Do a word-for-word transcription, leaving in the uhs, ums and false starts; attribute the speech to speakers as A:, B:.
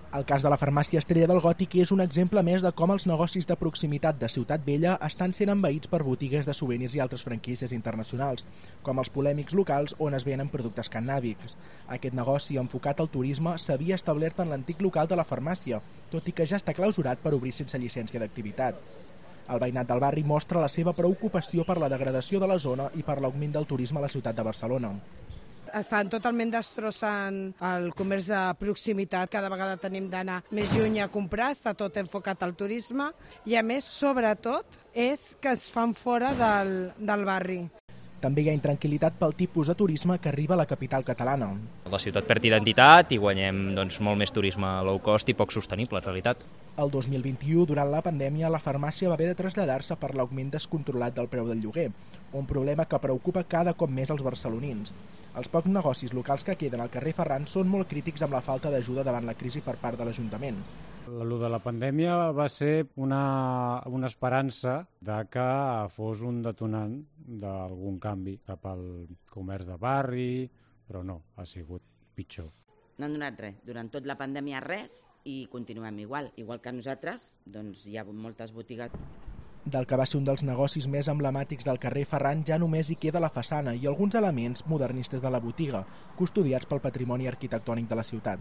A: El cas de la farmàcia Estrella del Gòtic és un exemple més de com els negocis de proximitat de Ciutat Vella estan sent envaïts per botigues de souvenirs i altres franquícies internacionals, com els polèmics locals on es venen productes cannàbics. Aquest negoci enfocat al turisme s'havia establert en l'antic local de la farmàcia, tot i que ja està clausurat per obrir sense llicència d'activitat. El veïnat del barri mostra la seva preocupació per la degradació de la zona i per l'augment del turisme a la ciutat de Barcelona.
B: Estan totalment destrossant el comerç de proximitat, cada vegada tenim d'anar més lluny a comprar, està tot enfocat al turisme i a més, sobretot, és que es fan fora del, del barri.
A: També hi ha intranquil·litat pel tipus de turisme que arriba a la capital catalana.
C: La ciutat perd identitat i guanyem doncs, molt més turisme low cost i poc sostenible, en realitat.
A: El dos mil vint-i-u, durant la pandèmia, la farmàcia va haver de traslladar-se per l'augment descontrolat del preu del lloguer, un problema que preocupa cada cop més els barcelonins. Els pocs negocis locals que queden al carrer Ferran són molt crítics amb la falta d'ajuda davant la crisi per part de l'Ajuntament.
D: El de la pandèmia va ser una, una esperança de que fos un detonant d'algun canvi cap al comerç de barri, però no, ha sigut pitjor.
E: No han donat res. Durant tot la pandèmia res i continuem igual. Igual que nosaltres, doncs hi ha moltes botigues.
A: Del que va ser un dels negocis més emblemàtics del carrer Ferran ja només hi queda la façana i alguns elements modernistes de la botiga, custodiats pel patrimoni arquitectònic de la ciutat.